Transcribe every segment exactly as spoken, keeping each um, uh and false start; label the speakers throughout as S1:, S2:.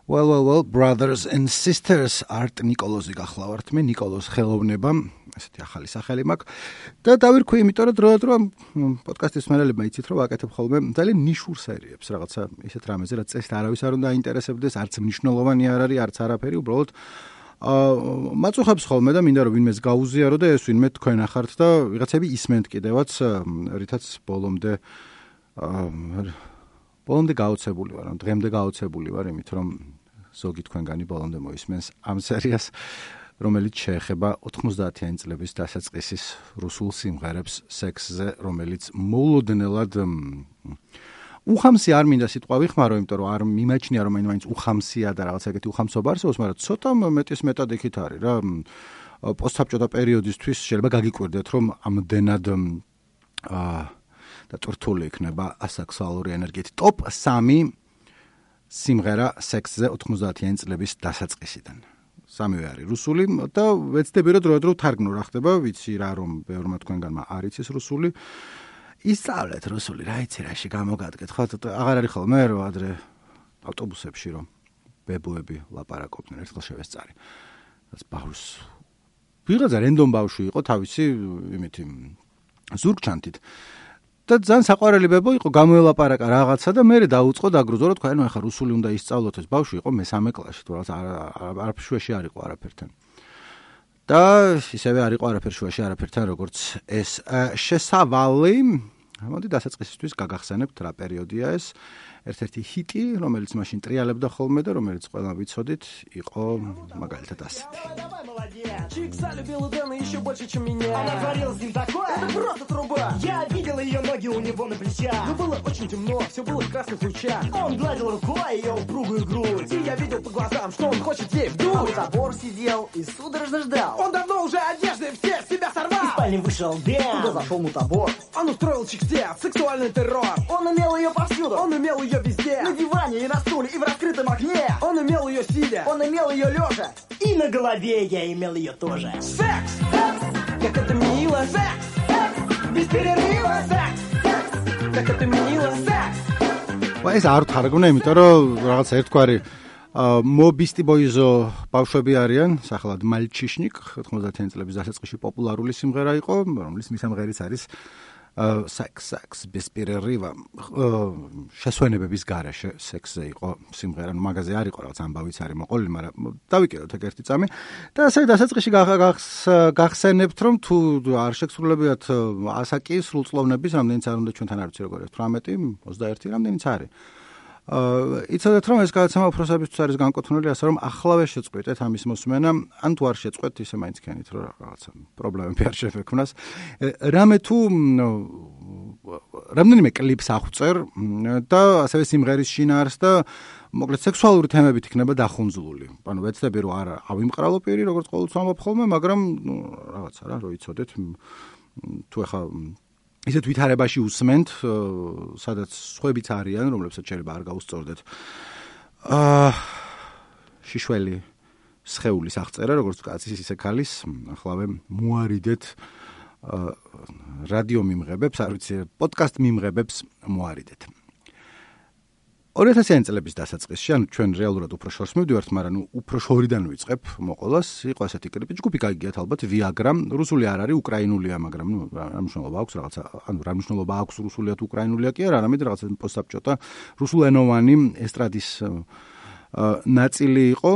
S1: Well, well, well, brothers and sisters, art Nikolოზი გახლავართ მე, ნიკოლოზ ხელოვნება, ესეთი ახალი სახელი მაქვს. და დავირქვი, იმიტომ რომ დროდადრო პოდკასტის მსმენელებმა იცით, რომ ვაკეთებ ხოლმე ძალიან ნიშურ სერიებს, რაღაცა ისეთ რამეზე, რაც წესით არავის არ უნდა აინტერესებდეს, არც მნიშვნელოვანი არ არის, არც არაფერი, უბრალოდ აა მაწუხებს ხოლმე და მინდა რომ ვინმეს გაუზიარო და ეს ვინმე თქვენ ახართ და ვიღაცები ისმენთ კიდევაც, რითაც ბოლომდე აა ბოლომდე გაოცებული ვარ, დღემდე გაოცებული ვარ, იმით რომ ზოგი თქვენგანი ბოლომდე მოისმენს ამ სერიას, რომელიც შეეხება ოთხმოცდაათიანი წლების დასაწყისის რუსულ სიმღერებს სექსზე, რომელიც მოულოდნელად უხამსი არ მინდა სიტყვა ვიხმარო, იმიტომ რომ არ მიმაჩნია რომ მაინც უხამსია და რაღაც ეგეთი უხამსობა არსებობს, მაგრამ ცოტა მეტის მეტად იქით არის რა. პოსტსაბჭოთა პერიოდისთვის შეიძლება გაგიკვირდეთ, რომ ამდენად აა და ტურთული იქნება ასექსუალური ენერგიით. ტოპ სამი სიმღერა სექსზე ოთხმოცდაათიანი წლების დასაწყისიდან. სამივე არის რუსული და ვეცდები რომ დროდადრო თარგმნო რა ხდება, ვიცი რა რომ ბევრმა თქვენგანმა არ იცის რუსული. ისწავლეთ რუსული, რა იცი რაში გამოგადგეთ, ხო? აღარ არის ხოლმე რომ ადრე ავტობუსებში რომ ბებუები ლაპარაკობდნენ, ერთხელ შევესწარი. რაც ბავშვს ვიღაცა რენდომ ბავშვი იყო თავისი იმითი ზურგჩანთით. და ძალიან საყვარელი ბებო იყო, გამოელაპარაკა რაღაცა და მე დაუწყო დაგრუზო, რომ თქვა, ნუ ახლა რუსული უნდა ისწავლოთ, ეს ბავშვი იყო მესამე კლასში, თუ რაღაც არაფერ შუაში არ იყო არაფერთან. და ისევე არ იყო არაფერ შუაში არაფერთან, როგორც ეს შესავალი, მოდი დასაწყისისთვის გაგახსენებთ რა პერიოდია ეს. ერთ-ერთი ჰიტი, რომელიც მაშინ ტრიალებდა ხოლმე და რომელიც ყველა ვიცოდით, იყო მაგალითად ასეთი.
S2: Чик залюбила Дэна еще больше, чем меня. Она творила с ним такое, это просто труба. Я видела ее ноги у него на плечах. Но было очень темно, все было в красных лучах. Он гладил рукой ее упругую грудь. И я видел по глазам, что он хочет ей вдуть. А у забор сидел и судорожно ждал. Он давно уже одежды все с себя сорвал. Из спальни вышел Дэн, куда зашел мутабор. Он устроил чик-степ, сексуальный террор. Он имел ее повсюду, он имел ее везде. На диване и на стуле, и в раскрытом окне. Он имел ее сидя, он имел ее лежа. И на голове я имел ее тоже. Секс! Секс! Как это мило! Секс! Секс! Без перерыва! Секс! Секс! Как это мило! Секс!
S1: ეს არ თარგმნა, იმიტომ რომ რაღაც ერთგვარი მობისტი ბოიზო ბავშვები არიან, სახელად მალჩიშნიკ, ოთხმოცდაათიანი წლების დასაწყისში პოპულარული სიმღერა იყო, რომლის მისამღერიც არის sex sex без перерыва. შესვენებების გარეშე სექსზე იყო სიმღერა, ნუ მაგაზე არ იყო რაღაც ამბავიც არის მოყოლილი, მაგრამ დავიკიდოთ ეგ ერთი წამი. და ასე დასაწყისში გახსენებთ, რომ თუ არ შეგსრულებიათ ასაკი სრულწლოვნების, რამდენიც არ უნდა ჩვენთან არ ვიცი როგორ ათვრამეტი, ოცდაერთი რამდენიც არის. იცოდეთ რომ ეს გადაცემა უფროსებისთვის არის განკუთვნილი, ასე რომ ახლავე შეწყვეტეთ ამის მოსმენა, ან თუ არ შეწყვეტთ, ისე მაინც ქენით რომ რაღაცა პრობლემები არ შეექმნას. რამე თუ რამდენიმე კლიპს აღვწერ და ასევე სიმღერის შინაარს და მოკლედ სექსუალური თემებით იქნება დახუნძლული. ანუ ვეცდები რომ არ ავიმყრალო პირი, როგორც ყოველთვის ამბობ ხოლმე, მაგრამ რაღაცა რა, რომ იცოდეთ თუ ახლა ისეთ ვითარებაში უსმენთ, სადაც სხვებიც არიან, რომლებსაც შეიძლება არ გაუსწორდეთ. აა შიშველი სხეულის აღწერა, როგორც კაცის, ისე ქალის, ახლავე მოარიდეთ რადიო მიმღებებს, არ ვიცი, პოდკასტ მიმღებებს მოარიდეთ. ორი ათასიანი წლების დასაწყისში, ანუ ჩვენ რეალურად უფრო შორს მივდივართ, მაგრამ ნუ უფრო შორიდან ვიწყებ მოყოლას, იყო ასეთი კლიპი, ჯგუფი გაიგიათ ალბათ, ვიაგრა, რუსული არ არის, უკრაინულია, მაგრამ ნუ რა მნიშვნელობა აქვს რაღაცა, ანუ რა მნიშვნელობა აქვს რუსულია თუ უკრაინულია კი არა, არამედ რაღაცა პოსტსაბჭოთა რუსულენოვანი ესტრადის ნაწილი იყო.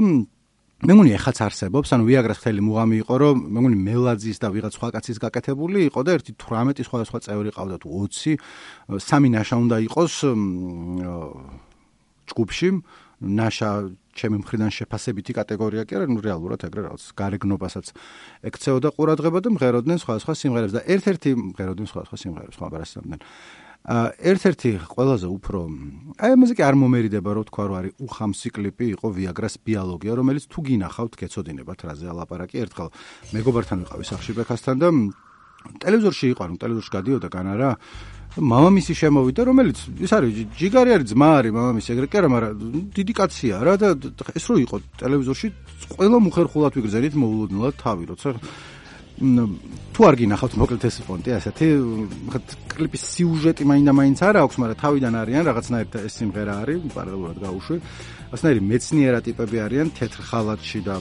S1: მე მგონი ეხაც არსებობს, ანუ ვიაგრას მთელი მუღამი იყო, რომ მე მგონი მელაძის და ვიღაც სხვა კაცის გაკეთებული იყო და ერთი თვრამეტი სხვადასხვა წევრი ყავდა თუ ოცი, სამი ნაშა უნდა იყოს ჯგუფში, ნაშა ჩემი მხრიდან შეფასებითი კატეგორია კი არა, ნუ რეალურად ეგრე რაღაც გარეგნობასაც ექცეოდა ყურადღება და მღეროდნენ სხვადასხვა სიმღერებს და ერთ-ერთი მღეროდნენ სხვადასხვა სიმღერებს, ხო, აბარასებდნენ. ერთ-ერთი ყველაზე უფრო აი ამაზე კი არ მომერიდება რომ თქვა რომ არის უხამსი კლიპი იყო ვიაგრას ბიოლოგია, რომელიც თუ გინახავთ გეცოდინებათ რაზე ალაპარაკი. ერთხელ მეგობართან ვიყავი სახში ბექასთან და ტელევიზორში იყო, ანუ ტელევიზორში გადიოდა განარა მამამისი შემოვიდა, რომელიც ის არის ჯიგარი არის, ძმა არის მამამისი, ეგრე კი არა, მაგრამ დიდი კაცია რა და ეს რო იყო ტელევიზორში ყველა მუხერხულად ვიგრძელით მოულოდნელად თავი, როცა თუ არ გინახავთ მოკლედ ეს პონტი ასეთი კლიპის სიუჟეტი მაინდა-მაინც არ აქვს, მაგრამ თავიდან არიან რაღაცნაირად ეს სიმღერა არის პარალელურად გაუშვი. ასნაირი მეცნიერა ტიპები არიან თეთრ ხალათში და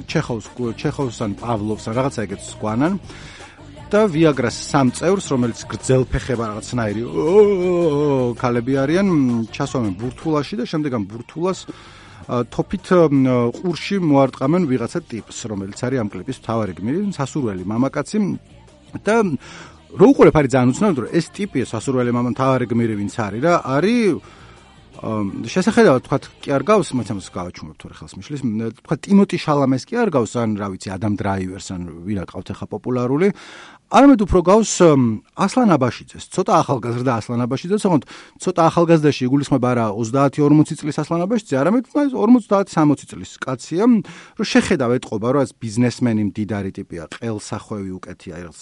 S1: ჩეხოვს ჩეხოვს ან პავლოვს ან რაღაცა ეგეთს გვანან. და ვიაგრას სამ წევრს, რომელიც გრძელფეხება რაღაცნაირი ქალები არიან, ჩასვამენ ბურთულაში და შემდეგ ამ ბურთულას თოფით ყურში მოარტყამენ ვიღაცა ტიპს, რომელიც არის ამ კლიპის მთავარი გმირი, სასურველი მამაკაცი და რო უყურებ არის ძალიან უცნაური, რომ ეს ტიპი სასურველი მამა მთავარი გმირი ვინც არის რა, არის შესახედავად თქვა კი არ გავს, მაგრამ გავაჩუმებ თორე ხელს მიშლის, თქვა ტიმოტი შალამეს კი არ გავს, ან რა ვიცი, ადამ დრაივერს, ან ვირა ყავთ ახლა პოპულარული. არამედ უფრო გავს ასლან აბაშიძეს, ცოტა ახალგაზრდა ასლან აბაშიძეს, თუმცა ცოტა ახალგაზრდაში იგულისხმება არა ოცდაათი ორმოცი წლის ასლან აბაშიძე, არამედ ორმოცდაათი სამოცი წლის კაცია, რომ შეხედავ ეტყობა, რომ ეს ბიზნესმენი მდიდარი ტიპია, ყელსახვევი უკეთია, რაღაც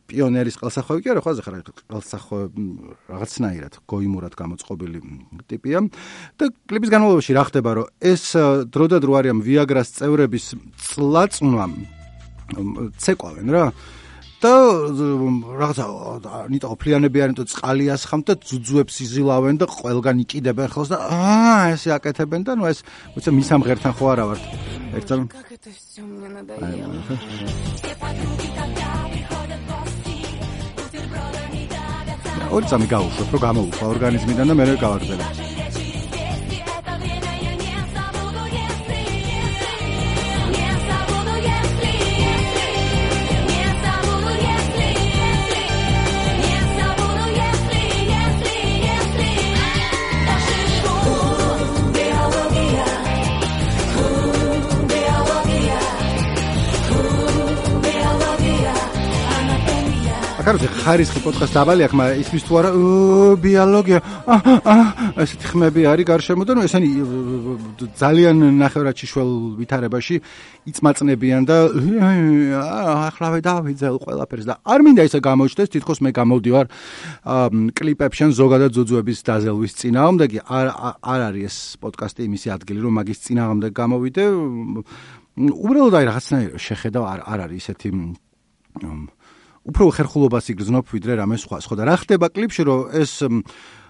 S1: პიონერის ყელსახვევი კი არა, ხო, ახლა ყელსახვევი რაღაცნაირად გოიმურად გამოწყობილი ტიპია და კლიპის განმავლობაში რა ხდება, რომ ეს დრო და დრო არიან ვიაგრას წევრების წლაწვნა ცეკვავენ რა და რაღაცა ნიტა ოფლიანები არიან და წყალიას ხამთ და ძუძუებს იზილავენ და ყველგან იკიდებენ ხელს და აა ესე აკეთებენ და ნუ ეს უცა მის ამ ღერთან ხო არა ვართ ერთად ორი წამი გავუშვებ რომ გამოუხვა ორგანიზმიდან და მე გავაგრძელებ კაროზე ხარისხი პოდკასტ დაბალი აქვს, მაგრამ ისმის თუ არა ბიოლოგია, ესეთი ხმები არის გარშემო და ნუ ესენი ძალიან ნახევრადშიშვალ ვითარებაში იწმაწნებიან და ახლავე დავიძელ ყველაფერს და არ მინდა ისე გამოჩნდეს, თითქოს მე გამოვდივარ კლიპებში ზოგადად ძუძუების დაზელვის წინააღმდეგი, არ არ არის ეს პოდკასტი იმისი ადგილი, რომ მაგის წინააღმდეგ გამოვიდე. უბრალოდ აი რაღაცნაირად შეხედავ არ არ არის ისეთი უფრო ხერხულობას იგრძნობ ვიდრე რამე სხვა სხვა და რა ხდება კლიპში რომ ეს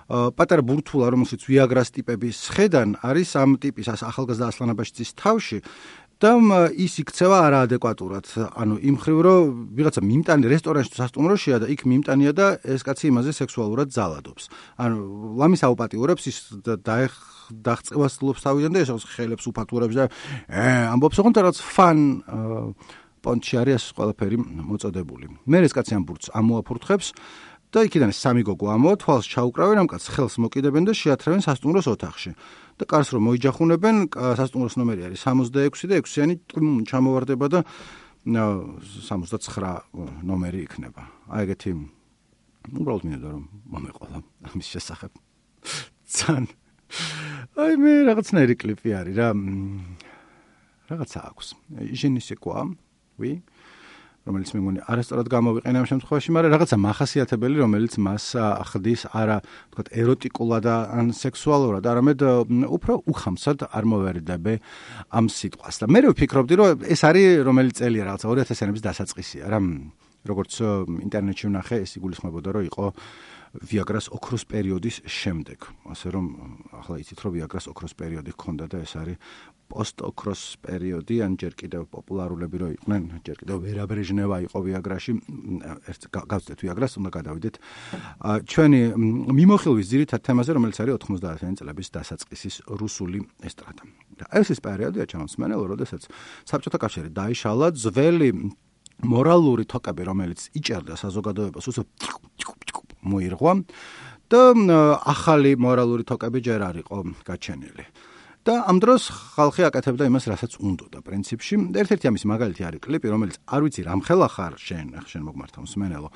S1: პატარა ბურთულა რომელშიც ვიაგრას ტიპების ხედან არის ამ ტიპის ახალგაზრდა ასლან აბაშიძის თავში და ის იქცევა არაადეკვატურად ანუ იმ ხრივ რომ ვიღაცა მიმტანი რესტორანში სასტუმროშია და იქ მიმტანია და ეს კაცი იმაზე სექსუალურად ძალადობს ანუ ლამის აუპატიურებს ის დაღწევას ლობს თავიდან და ეს ხელებს უფათურებს და ამბობს ოღონდ რაღაც ფან პონჩი არის ეს ყველაფერი მოწოდებული. მე ეს კაცი ამ ბურთს ამოაფურთხებს და იქიდან სამი გოგო ამოა თვალს ჩაუკრავენ ამ კაცს ხელს მოკიდებენ და შეათრევენ სასტუმროს ოთახში. და კარს რომ მოიჯახუნებენ, სასტუმროს ნომერი არის სამოცდაექვსი და ექვსიანი ჩამოვარდება და სამოცდაცხრა ნომერი იქნება. აი ეგეთი უბრალოდ მინდა რომ მომეყოლა ამის შესახებ. ძალიან აი მე რაღაცნაირი კლიპი არის რა. რაღაცა აქვს. ჟენისე quoi ვი რომელიც მე მგონი არასწორად გამოვიყენე ამ შემთხვევაში, მაგრამ რაღაცა მახასიათებელი, რომელიც მას ახდის არა, თქვათ, ეროტიკულად ან სექსუალურად, არამედ უფრო უხამსად არ მოვერიდებე ამ სიტყვას. და მე ვფიქრობდი, რომ ეს არის რომელი წელია რაღაცა ორი ათასიანების დასაწყისია, რა როგორც ინტერნეტში ვნახე, ეს იგულისხმებოდა, რომ იყო ვიაგრას ოქროს პერიოდის შემდეგ. ასე რომ ახლა იცით, რომ ვიაგრას ოქროს პერიოდი ჰქონდა და ეს არის პოსტ-ოქროს პერიოდი, ან ჯერ კიდევ პოპულარულები რო იყვნენ, ჯერ კიდევ ვერა ბრეჟნევა იყო ვიაგრაში, ერთ გავწდეთ ვიაგრას, უნდა გადავიდეთ. ჩვენი მიმოხილვის ძირითად თემაზე, რომელიც არის ოთხმოცდაათიანი წლების დასაწყისის რუსული ესტრადა. და ეს ის პერიოდია ჩამოსმენელო, როდესაც საბჭოთა კავშირი დაიშალა, ძველი მორალური თოკები, რომელიც იჭერდა საზოგადოებას, უსო მოირღვა და ახალი მორალური თოკები ჯერ არ იყო გაჩენილი. და ამ დროს ხალხი აკეთებდა იმას, რასაც უნდოდა პრინციპში. ერთ-ერთი ამის მაგალითი არის კლიპი, რომელიც არ ვიცი რამ ხელა ხარ შენ, შენ მოგმართავ მსმენელო,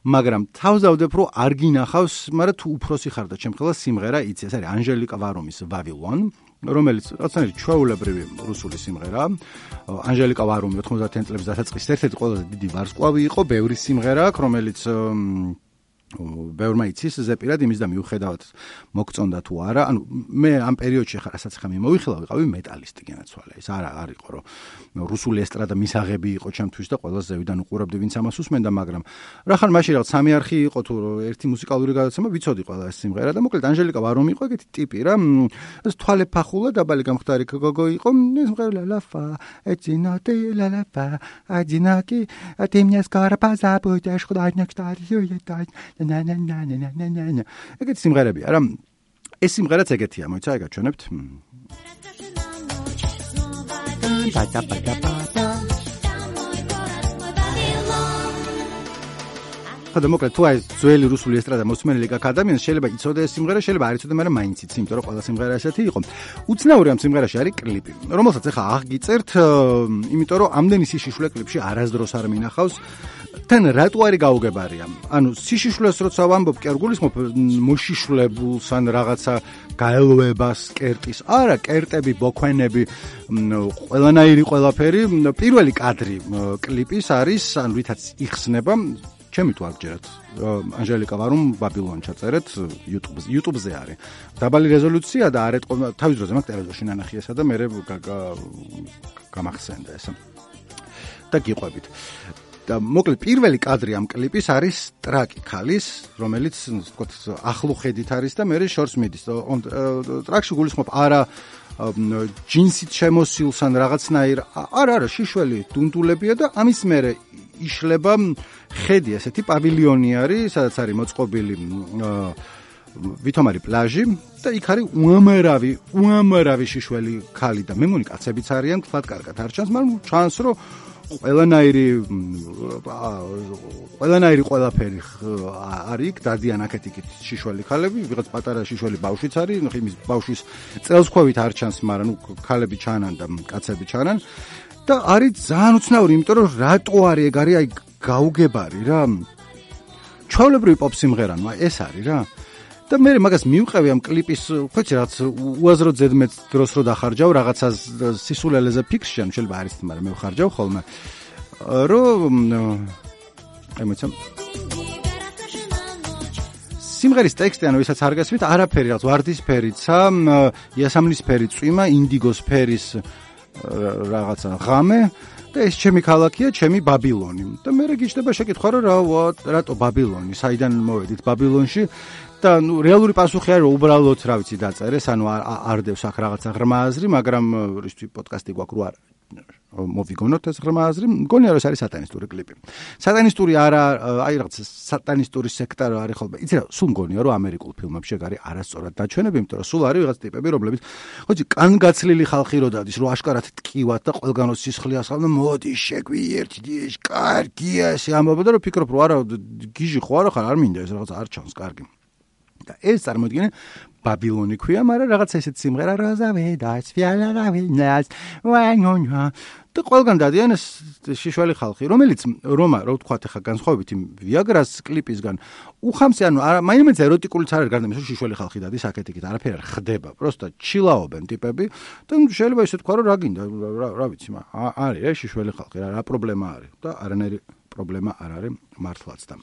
S1: მაგრამ თავზავდებ რომ არ გინახავს, მაგრამ თუ უფროსი ხარ და ჩემ ხელა სიმღერა იცი, ეს არის ანჟელიკა ვარუმის Vavilon, რომელიც რაღაცნაირი ჩვეულებრივი რუსული სიმღერაა. ანჟელიკა ვარუმი ოთხმოცდაათიანი წლების დასაწყისის ერთ-ერთი ყველაზე დიდი ვარსკვლავი იყო, ბევრი სიმღერა აქვს, რომელიც ბევრმა იცის ზეპირად იმის და მიუხედავად მოგწონდა თუ არა, ანუ მე ამ პერიოდში ხარ რასაც ხა მიმოვიხილა ვიყავი მეტალისტი განაცვალე. ეს არა არ იყო რომ რუსული ესტრადა მისაღები იყო ჩემთვის და ყველა ზევიდან უყურებდი ვინც ამას უსმენდა, მაგრამ რა ხარ მაშინ რაღაც სამი არხი იყო თუ ერთი მუსიკალური გადაცემა ვიცოდი ყველა ეს სიმღერა და მოკლედ ანჟელიკა ვარომ იყო ეგეთი ტიპი რა. ეს თვალე ფახულა დაბალი გამხდარი გოგო იყო. სიმღერა ლაფა ეცინოტე ლალაფა აჯინაკი ატიმნეს კარაპაზა ბუდაშ ხდაინაკტარიო na na na na na na na. ეგეთი სიმღერებია რა. ეს სიმღერაც ეგეთია, მოიცა, ეგაჩვენებთ. ხოდა მოკლედ თუ აი ძველი რუსული ესტრადა მოსმენელი გაქ ადამიანს შეიძლება იცოდე ეს სიმღერა, შეიძლება არ იცოდე, მაგრამ მაინც იცი, იმიტომ რომ ყველა სიმღერა ესეთი იყო. უცნაური ამ სიმღერაში არის კლიპი, რომელსაც ახლა აღგიწერთ, იმიტომ რომ ამდენი სიშიშვლე კლიპში არასდროს არ მინახავს. თან რატო არის გაუგებარია? ანუ სიშიშვლეს როცა ვამბობ, კი არ გულისხმობ მოშიშვლებულს ან რაღაცა გაელვებას კერტის. არა, კერტები, ბოქვენები, ყველანაირი ყველაფერი. პირველი კადრი კლიპის არის, ან ვითაც იხსნება ჩემი თუ არ გჯერათ. ანჟელიკა ვარომ ბაბილონ ჩაწერეთ YouTube-ზე. YouTube-ზე არის. დაბალი რეზოლუცია და არ ეტყობა თავის დროზე მაგ ტელევიზორში ნანახი ესა და მე გამახსენდა ესა. და გიყვებით. და მოკლედ პირველი კადრი ამ კლიპის არის ტრაკი ქალის, რომელიც ვთქვათ ახლო ხედით არის და მე შორს მიდის. ტრაკში გულისხმობ არა ჯინსით შემოსილს ან რაღაცნაირ არა არა შიშველი დუნდულებია და ამის მერე იშლება ხედი, ესეთი პავილიონი არის, სადაც არის მოწყობილი ვითომარი პლაჟი და იქ არის უამრავი უამრავი შიშველი ქალი და მე მგონი კაცებიც არიან, თქვათ კარგად არ ჩანს, მაგრამ ჩანს რომ ყველანაირი ყველანაირი ყველაფერი არის იქ, დადიან აქეთ-იქით შიშველი ქალები, ვიღაც პატარა შიშველი ბავშვიც არის, იმის ბავშვის წელსქვევით არ ჩანს, მაგრამ ნუ ქალები ჩანან და კაცები ჩანან და არის ძალიან უცნაური, იმიტომ რომ რატო არის ეგ არის აი გაუგებარი რა. ჩვეულებრივი პოპ სიმღერა, ნუ ეს არის რა. და მე მაგას მივყევი ამ კლიპის, ხოჭი რაც უაზრო ზედმეტ დროს რო დახარჯავ რაღაცა სისულელეზე ფიქსში, ან შეიძლება არის, მაგრამ მე ვხარჯავ ხოლმე. რომ აი მოიცემ სიმღერის ტექსტი, ანუ ვისაც არ გასმით, არაფერი რაღაც ვარდისფერიცა, იასამნისფერი წვიმა, ინდიგოს ფერის რაღაცა ღამე და ეს ჩემი ქალაქია, ჩემი ბაბილონი. და მე გიჩნდება შეკითხვა, რომ რა რატო ბაბილონი, საიდან მოვედით ბაბილონში? და ნუ რეალური პასუხი არის, რომ უბრალოდ რა ვიცი დაწერეს, ანუ არ დევს აქ რაღაცა ღრმა აზრი, მაგრამ რისთვის პოდკასტი გვაქვს რო არ მოვიგონოთ ეს ღრმა აზრი, მგონია რომ ეს არის სატანისტური კლიპი. სატანისტური არა, აი რაღაც სატანისტური სექტა რა არის ხოლმე. იცი რა, სულ მგონია რომ ამერიკულ ფილმებში ეგ არის არასწორად დაჩვენები, იმიტომ რომ სულ არის ვიღაც ტიპები, რომლებიც ხოჭი კანგაცლილი ხალხი რო დადის, რომ აშკარად ტკივათ და ყველგანო სისხლია ხალხი, მოდი შეგვიერთდი, კარგია ესე ამბობ და რომ ფიქრობ რომ არა გიჟი ხო არა ხარ, არ მინდა ეს რაღაც არ ჩანს, კარგი. და ეს წარმოიდგინე ბაბილონი ქვია, მაგრამ რაღაცა ესეთ სიმღერა როზავე და სფიალარავინას ვანონა და ყველგან დადიან ეს შიშველი ხალხი, რომელიც რომა რო ვთქვათ ახლა განსხვავებით იმ ვიაგრას კლიპისგან უხამსე, ანუ მაინც ეროტიკულიც არ არის გარდა იმისა, შიშველი ხალხი დადის აქეთ-იქით, არაფერი არ ხდება, პროსტა ჩილაობენ ტიპები და შეიძლება ისე თქვა რომ რა გინდა, რა ვიცი, არის ეს შიშველი ხალხი, რა პრობლემა არის და არანაირი პრობლემა არ არის მართლაც და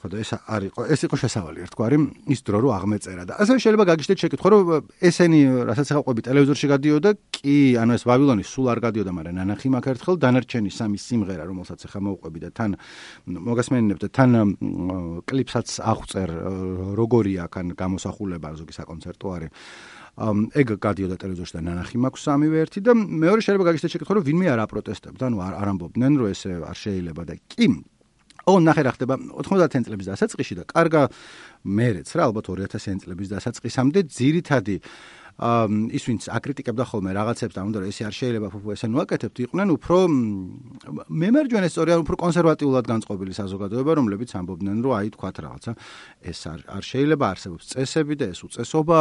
S1: ხოდა ეს არის ეს იყო შესავალი ერთგვარი ის დრო რო აღმეწერა და ასე შეიძლება გაგიჩნდეთ შეკითხვა რომ ესენი რასაც ახლა ყვები ტელევიზორში გადიოდა კი ანუ ეს ბაბილონი სულ არ გადიოდა მაგრამ ნანახი მაგ ერთხელ დანარჩენი სამი სიმღერა რომელსაც ახლა მოვყვები და თან მოგასმენინებ და თან კლიპსაც აღწერ როგორია კან გამოსახულება ზოგი საკონცერტო არის ეგ გადიოდა ტელევიზორში და ნანახი მაქვს სამივე ერთი და მეორე შეიძლება გაგიჩნდეთ შეკითხვა რომ ვინმე არ აპროტესტებდა ანუ არ ამბობდნენ რომ ეს არ შეიძლება და კი ო ნახე რა ხდება ოთხმოცდაათი წლების დასაწყისში და კარგა მერეც რა ალბათ ორი ათასი წლების დასაწყისამდე ძირითადი ის ვინც აკრიტიკებდა ხოლმე რაღაცებს და უნდა რომ ესე არ შეიძლება ფუფუ ესე ნუაკეთებთ იყვნენ უფრო მემარჯვენე სწორია უფრო კონსერვატიულად განწყობილი საზოგადოება რომლებიც ამბობდნენ რომ აი თქვათ რაღაცა ეს არ არ შეიძლება არსებობს წესები და ეს უწესობა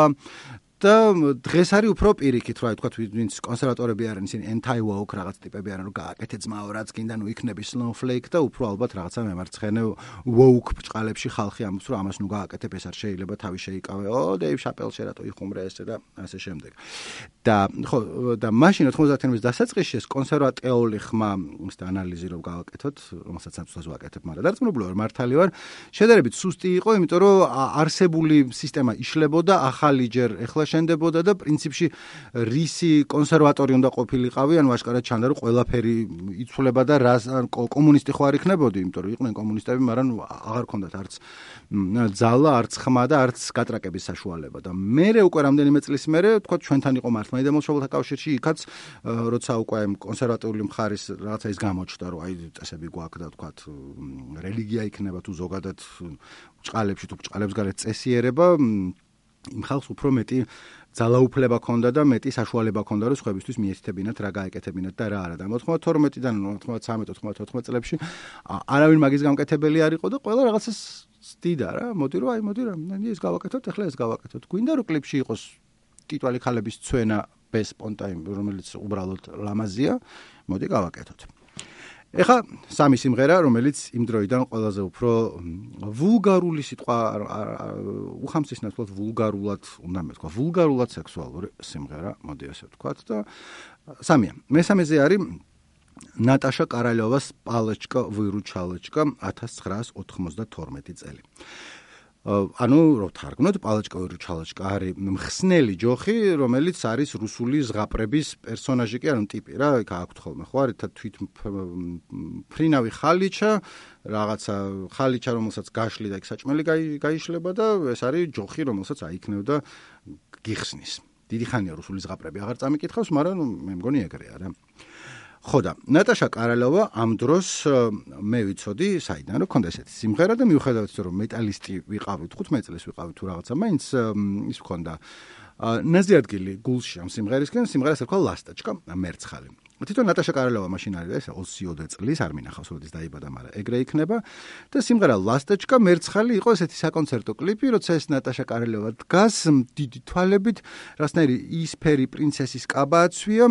S1: და დღეს არის უფრო პირიქით, რა ვთქვათ, ვინც კონსერვატორები არიან, ისინი anti-woke რაღაც ტიპები არიან, რომ გააკეთე ძმაო, რაც გინდა, ნუ იქნები snowflake და უფრო ალბათ რაღაცა მემარცხენე woke ბჭყალებში ხალხი ამბობს, რომ ამას ნუ გააკეთებ, ეს არ შეიძლება თავი შეიკავე. ო, Dave Chappelle-ში რატო იხუმრე ესე და ასე შემდეგ. და ხო, და მაშინ ოთხმოცდაათიანების დასაწყისში ეს კონსერვატიული ხმა ის და ანალიზი რომ გავაკეთოთ, რომელსაც სამწუხაროდ ვაკეთებ, მაგრამ დარწმუნებული ვარ, მართალი ვარ, შედარებით სუსტი იყო, იმიტომ რომ არსებული სისტემა იშლებოდა, ახალი ჯერ ეხლა შენდებოდა და პრინციპში რისი კონსერვატორი უნდა ყოფილიყავი, ანუ აშკარად ჩანდა რომ ყველაფერი იცვლება და რა კომუნისტი ხო არ იქნებოდი, იმიტომ რომ იყვნენ კომუნისტები, მაგრამ აღარ ქონდათ არც ძალა, არც ხმა და არც გატრაკების საშუალება და მერე უკვე რამდენიმე წლის მერე თქვა ჩვენთან იყო მართლმადიდებელ მშობელთა კავშირში, იქაც როცა უკვე კონსერვატიული მხარის რაღაცა ის გამოჩნდა, რომ აი წესები გვაქვს და თქვა რელიგია იქნება თუ ზოგადად ბჭყალებში თუ ბჭყალებს გარეთ წესიერება იმ ხალხს უფრო მეტი ძალაუფლება ქონდა და მეტი საშუალება ქონდა რომ სხვებისთვის მიეთითებინათ რა გაეკეთებინათ და რა არა და ოთხმოცდათორმეტიდან ოცდამეცხრე ოცდაათოთხმეტ წლებში არავინ მაგის გამკეთებელი არ იყო და ყველა რაღაცას ცდიდა რა მოდი რომ აი მოდი რა ეს გავაკეთოთ ახლა ეს გავაკეთოთ გვინდა რომ კლიპში იყოს ტიტვალი ქალების ცვენა ბესპონტაიმ რომელიც უბრალოდ ლამაზია მოდი გავაკეთოთ ეხა სამი სიმღერა, რომელიც იმ დროიდან ყველაზე უფრო ვულგარული სიტყვა უხამსისნად ვთქვათ ვულგარულად უნდა მეთქვა, ვულგარულად სექსუალური სიმღერა, მოდი ასე ვთქვათ და სამია. მესამეზე არის ნატაშა კარალიოვას პალეჩკა ვირუჩალეჩკა ათას ცხრაას ოთხმოცდათორმეტი წელი. ანუ რო თარგმნოთ პალეჩკა ვირუჩალეჩკა არის მხსნელი ჯოხი, რომელიც არის რუსული ზღაპრების პერსონაჟი კი არა ტიპი რა, იქ აქვთ ხოლმე ხო არის თვით ფრინავი ხალიჩა, რაღაცა ხალიჩა რომელსაც გაშლი და იქ საჭმელი გაიშლება და ეს არის ჯოხი რომელსაც აიქნევდა გიხსნის. დიდი ხანია რუსული ზღაპრები აღარ წამიკითხავს, მაგრამ მე მგონი ეგრეა რა. ხო და ნატაშა კარალიოვა ამ დროს მე ვიცოდი საიდან რომ ქონდა ესეთი სიმღერა და მიუხედავად იმისა რომ მეტალისტი ვიყავით თხუთმეტ წელს ვიყავით თუ რაღაცა მაინც ის ქონდა ნაზი ადგილი გულში ამ სიმღერისკენ სიმღერას ერქვა ლასტაჩკა მერცხალი თვითონ ნატაშა კარალიოვა მაშინ არის ეს ოცდაოთხ წლის არ მინახავს როდის დაიბადა მაგრამ ეგრე იქნება და სიმღერა ლასტაჩკა მერცხალი იყო ესეთი საკონცერტო კლიპი როცა ეს ნატაშა კარალიოვა დგას დიდი თვალებით რასნაირი ისფერი პრინცესის კაბა აცვია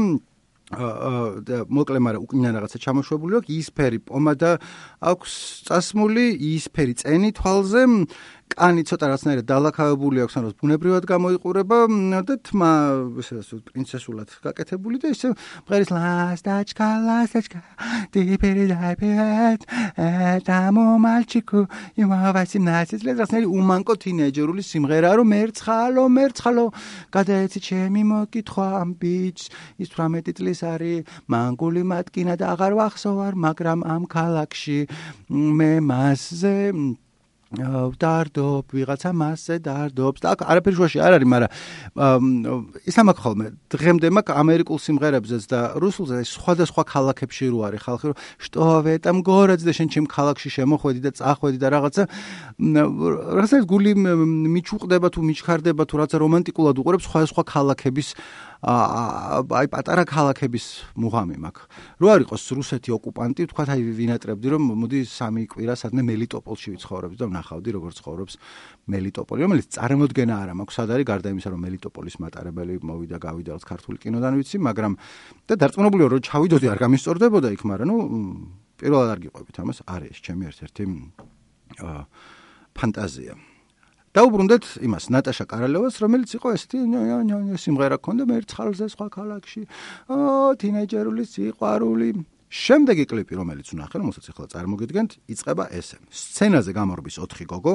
S1: და მოკლე მაგრამ უკნიან რაღაცა ჩამოშვებული აქვს ისფერი პომადა აქვს წასმული ისფერი წენი თვალზე კანი ცოტა რაღაცნაირად დალაქავებული აქვს ანუ ბუნებრივად გამოიყურება და თმა ესე პრინცესულად გაკეთებული და ისე მღერის ლასტაჩკა ლასტაჩკა დიპერი დაიპეთ დამო მალჩიკუ იმავასი ნაცის რაღაცნაირი უმანკო თინეიჯერული სიმღერა რომ მერცხალო მერცხალო გადაეცი ჩემი მოკითხვა ამ ბიჭს ის თვრამეტი წლის არის მანგული მატკინა და აღარ ვახსოვარ მაგრამ ამ ქალაქში მე მასზე დარდობ ვიღაცა მასზე დარდობს და არაფერი შუაში არ არის მაგრამ ის ამაკ ხოლმე დღემდე მაგ ამერიკულ სიმღერებზეც და რუსულზე სხვადასხვა ქალაქებში რო არის ხალხი რომ შტოვე და მგორაც და შენ ჩემ ქალაქში შემოხვედი და წახვედი და რაღაცა რაღაცა გული მიჩუყდება თუ მიჩქარდება თუ რაღაცა რომანტიკულად უყურებს სხვადასხვა ქალაქების აი პატარა ქალაქების მუღამი მაქვს. რო არ იყოს რუსეთი ოკუპანტი, თქვათ აი ვინატრებდი რომ მოდი სამი კვირა სადმე მელიტოპოლში ვიცხოვრობდი და ვნახავდი როგორ ცხოვრობს მელიტოპოლი, რომელიც წარმოდგენა არ მაქვს სად არის გარდა იმისა რომ მელიტოპოლის მატარებელი მოვიდა გავიდა რაც ქართული კინოდან ვიცი, მაგრამ და დარწმუნებული ვარ რომ ჩავიდოდი არ გამისწორდებოდა იქ, მაგრამ ნუ პირველად არ გიყვებით ამას, არის ჩემი ერთ-ერთი ფანტაზია. დაუბრუნდეთ იმას ნატაშა კარალიოვას რომელიც იყო ესეთი სიმღერა ქონდა მერცხალზე სხვა ქალაქში ო თინეიჯერული სიყვარული შემდეგი კლიპი რომელიც ვნახე რომელსაც ახლა წარმოგიდგენთ იწყება ესე სცენაზე გამორბის ოთხი გოგო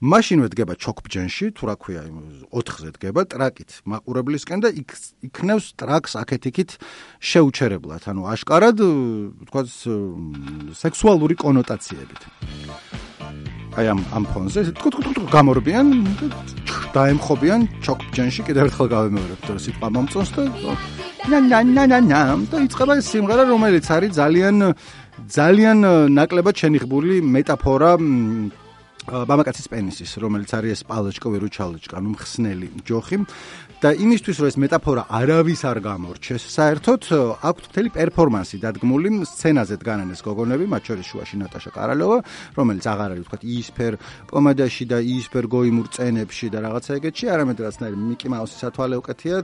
S1: მაშინვე დგება ჩოქბჯენში თუ რა ქვია ოთხზე დგება ტრაკით მაყურებლისკენ და იქნევს ტრაკს აქეთ-იქით შეუჩერებლად ანუ აშკარად თქვა სექსუალური კონოტაციებით აი ამ ამ ფონზე თქო გამორბიან დაემხობიან ჩოქბჯენში კიდევ ერთხელ გავემეორებ რომ სიტყვა მომწონს და ნა ნა ნა ნა ნა და იწყება სიმღერა რომელიც არის ძალიან ძალიან ნაკლებად შენიღბული მეტაფორა მამაკაცის პენისის, რომელიც არის ეს პალეჩკა, ვირუჩალეჩკა, ანუ მხსნელი ჯოხი და იმისთვის რომ ეს მეტაფორა არავის არ გამორჩეს, საერთოდ აქვთ მთელი პერფორმანსი დადგმული სცენაზე დგანან ეს გოგონები, მათ შორის შუაში ნატაშა კარალიოვა, რომელიც აღარ არის ვთქვათ იისფერ პომადაში და იისფერ გოიმურ წენებში და რაღაცა ეგეთში, არამედ რაღაცნაირი მიკი მაუსის ათვალე უკეთია,